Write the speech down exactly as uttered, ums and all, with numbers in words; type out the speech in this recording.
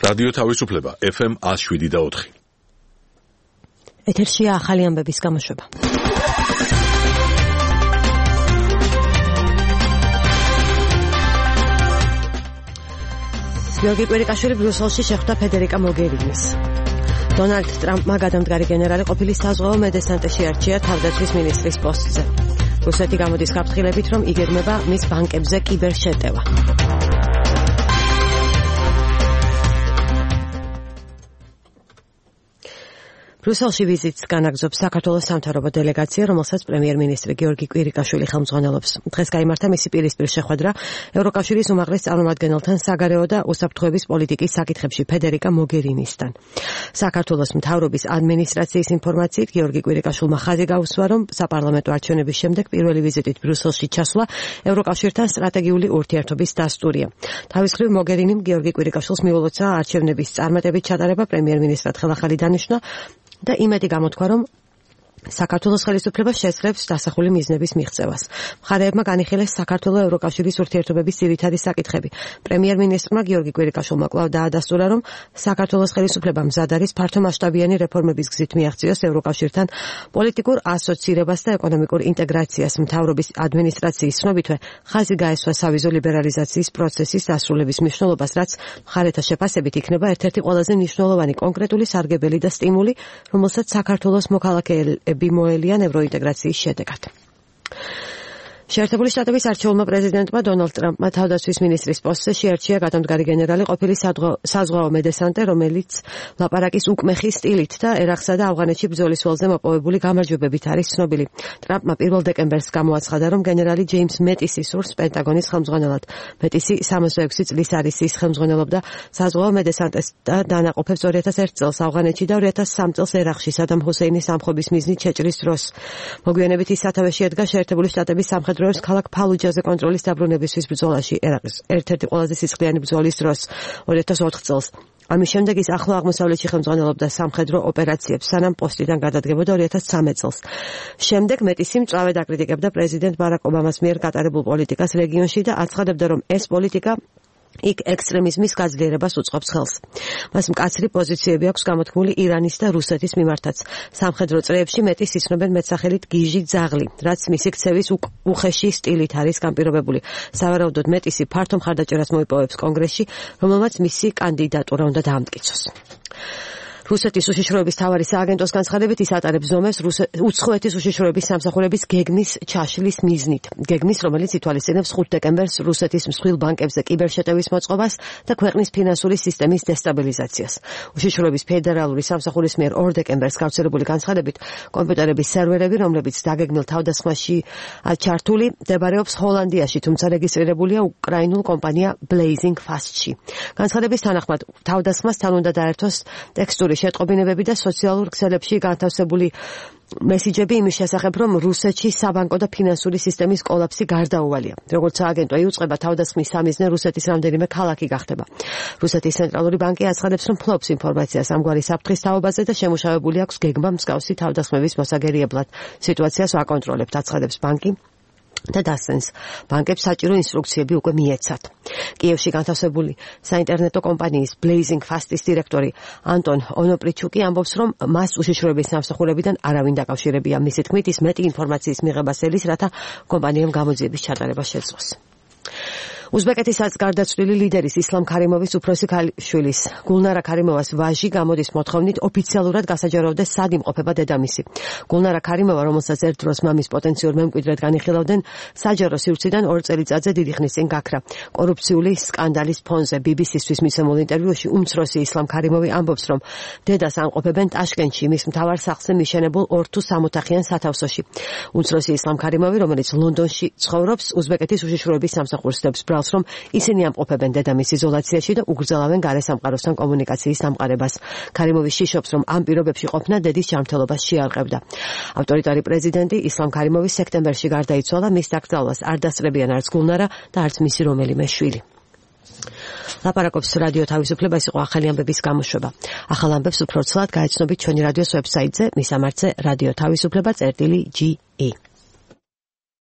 რადიო თავისუფლება ეფ ემ one oh seven point four. ეთერშია ახალი ამბების გამოშვება. გიორგი კვირიკაშვილი ბრიუსელში შეხვდა ფედერიკა მოგერინის. დონალდ ტრამპმა გადამდგარი გენერალი ყოფილი საზღვაო მედესანტეში არჩია თავდაცვის მინისტრის პოსტზე. რუსეთი გამოდის გაფრთხილებით, რომ იგეგმება მის ბანკებზე კიბერშეტევა. ბრიუსელში ვიზიტს განაგრძობს საქართველოს სამთავრობო დელეგაცია, რომელსაც პრემიერ-მინისტრი გიორგი კვირიკაშვილი ხელმძღვანელობს. დღეს გაიმართა მისი პირისპირ შეხვედრა ევროკავშირის უმაღლეს წარმომადგენელთან საგარეო და უსაფრთხოების პოლიტიკის საკითხებში ფედერიკა მოგერინისთან. საქართველოს მთავრობის ადმინისტრაციის ინფორმაციით გიორგი კვირიკაშვილმა ხაზი გაუსვა, რომ საპარლამენტო არჩევნების შემდეგ პირველი ვიზიტით ბრიუსელში ჩასვლა ევროკავშირთან სტრატეგიული ურთიერთობის დასტურია. თავის მხრივ მოგერინიმ გიორგი კვირიკაშვილს მიულოცა არჩევნების წარმატებით ჩატარება პრემიერ-მინისტრად ხელახალი დანიშნა და იმედი გამოთქვა, რომ საქართველოს ხელისუფლება შესწრებს დასახული მიზნების მიღწევას. მხარეებმა განიხილეს საქართველოს ევროკავშირის ურთიერთობების ძირითადი საკითხები. პრემიერ-მინისტრმა გიორგი კვირიკაშვილმა კვლავ დაადასტურა, რომ საქართველოს ხელისუფლება მზად არის ფართომასშტაბიანი რეფორმების გზით მიაღწიოს ევროკავშირთან პოლიტიკურ ასოცირებას და ეკონომიკურ ინტეგრაციას. მთავრობის ადმინისტრაციის ცნობითვე ხაზი გაესვა სავიზო ლიბერალიზაციის პროცესის დასრულების მნიშვნელობას, რაც მხარეთა შეფასებით იქნება ერთ-ერთი ყველაზე მნიშვნელოვანი კონკრეტული სარგებელი და სტიმული, რომელსაც საქართველოს მოქალაქეები მოელიან ევროინტეგრაციის შედეგად. შეერთებული შტატების არჩეულმა პრეზიდენტმა დონალდ ტრამპმა თავდაცვის მინისტრის პოსტზე შეარჩია გადამდგარი გენერალი ყოფილი საზღვაო მედესანტე, რომელიც ლაპარაკის უკმეხი სტილით და ერაყსა და ავღანეთში ბრძოლის ველზე მოპოვებული გამარჯვებებით არის ცნობილი. ტრამპმა პირველ დეკემბერს გამოაცხადა, რომ გენერალი ჯეიმს მეტისი სურს პენტაგონის ხელმძღვანელად. მეტისი სამოცდაექვსი წლის არის ის ხელმძღვანელობდა საზღვაო მედესანტეს და დანაყოფებს ორი ათას ერთ წელს ავღანეთში და ორი ათას სამი წელს ერაყში სადამ ჰუსეინის ამხობის მიზნით შეჭრის დროს. მოგვიანებით ის სათავეში ედგა შეერთებული შტატების სამხედრო დროის ქალაქ ფალუჯაზე კონტროლის დაბრუნებისთვის ბრძოლაში ერაყის ერთ-ერთი ყველაზე სისხლიანი ბრძოლის დროს ორი ათას ოთხ წელს. ამის შემდეგ ის ახლო აღმოსავლეთში ხელმძღვანელობდა სამხედრო ოპერაციებს, სანამ პოსტიდან გადადგებოდა ორი ათას სამი წელს. შემდეგ მეტისი მწვავედ აკრიტიკებდა პრეზიდენტ ბარაკ ობამას მიერ გატარებულ პოლიტიკას რეგიონში და აცხადებდა, რომ ეს პოლიტიკა იქ ექსტრემიზმის გაძლიერებას უწყობს ხელს. მას მკაცრი პოზიციები აქვს გამოთქმული ირანის და რუსეთის მიმართაც. სამხედრო წრეებში მეტის იცნობენ მეტსახელით გიჟი ძაღლი, რაც მისი ქცევის უხეში სტილით არის განპირობებული. სავარაუდოდ მეტისი ფართო მხარდაჭერას მოიპოვებს კონგრესში, რომელმაც მისი კანდიდატურა უნდა დაამტკიცოს. რუსეთის უშიშროების მთავარი სააგენტოს განცხადებით ის ატარებს ზომებს უცხოეთის უშიშროების სამსახურების გეგმის ჩაშლის მიზნით. გეგმის, რომელიც ითვალისწინებს ხუთ დეკემბერს რუსეთის მსხვილ ბანკებზე კიბერშეტევის მოწყობას და ქვეყნის ფინანსური სისტემის დესტაბილიზაციას. უშიშროების ფედერალური სამსახურის მიერ ორ დეკემბერს გავრცელებული განცხადებით კომპიუტერების სერვერები, რომლებიც დაგეგმილ თავდასხმაში ჩართული, მდებარეობს ჰოლანდიაში, თუმცა რეგისტრირებულია უკრაინულ კომპანია Blazing Fast-ში. განცხადების თანახმად თავდასხმასთან უნდა დაერთოს ტექსტური შეტყობინებები და სოციალურ ქსელებში განთავსებული მესიჯები იმის შესახებ, რომ რუსეთში საბანკო და ფინანსური სისტემის კოლაფსი გარდაუვალია. როგორც სააგენტო იუწყება, თავდასხმის სამიზნე რუსეთის რამდენიმე ქალაქი გახდება. რუსეთის ცენტრალური ბანკი აცხადებს, რომ ფლობს ინფორმაციას ამგვარი საფრთხის თაობაზე და შემუშავებული აქვს გეგმა მსგავსი თავდასხმების მოსაგერიებლად. სიტუაციას ვაკონტროლებთ, აცხადებს ბანკი და დასცენს. ბანკებს საჭირო ინსტრუქციები უკვე მიეცათ. კიევში განთავსებული საინტერნეტო კომპანიის Blazing Fast-ის დირექტორი ანტონ ონოპრიჩუკი ამბობს, რომ მას უშიშროების სამსახურებიდან არავინ დაკავშირებია. მისი თქმით, ის მეტი ინფორმაციის მიღებას ელის, რათა კომპანიამ გამოძიების ჩატარება შეძლოს. უზბეკეთისაც გარდაცვლილი ლიდერის ისლამ ქარიმოვის უფროსი ქალიშვილის გულნარა ქარიმოვას ვაჟი გამოდის მოთხოვნით ოფიციალურად გასაჯაროვდეს სად იმყოფება დედამისი. გულნარა ქარიმოვა, რომელსაც ერთ დროს მამის პოტენციურ მემკვიდრედ განიხილავდნენ, საჯარო სივრციდან ორ წელიწადზე დიდი ხნის წინ გაქრა. კორუფციული სკანდალის ფონზე ბი ბი სისთვის მიცემულ ინტერვიუში უმცროსი ისლამ ქარიმოვი ამბობს, რომ დედას ამყოფებენ ტაშკენტში, მის მთავარ სახლზე მიშენებულ ორ თუ სამოთახიან სათავსოში. უმცროსი ისლამ ქარიმოვი, რომელიც ლონდონში ცხოვრობს, უზბეკეთის უშიშროების სამსახურს დებს რომ ისინი ამყოფებენ დედამის იზოლაციაში და უგრძელავენ გარესამყაროსთან კომუნიკაციის დამყარებას. ქარიმოვი შიშობს, რომ ამ პირობებში ყოფნა დედის ჯანმრთელობას შეარყევდა. ავტორიტარი პრეზიდენტი ისლამ ქარიმოვი სექტემბერში გარდაიცვალა, მის დაკრძალვას არ დასწრებიან არც გულნარა და არც მისი რომელიმე შვილი. ლაპარაკობს რადიო თავისუფლება, ეს იყო ახალი ამბების გამოშვება. ახალ ამბებს უფრო ცლად გაეცნობით ჩვენი რადიოს ვებსაიტზე, მისამართზე რადიო თავისუფლება წერტილი ჯი ი.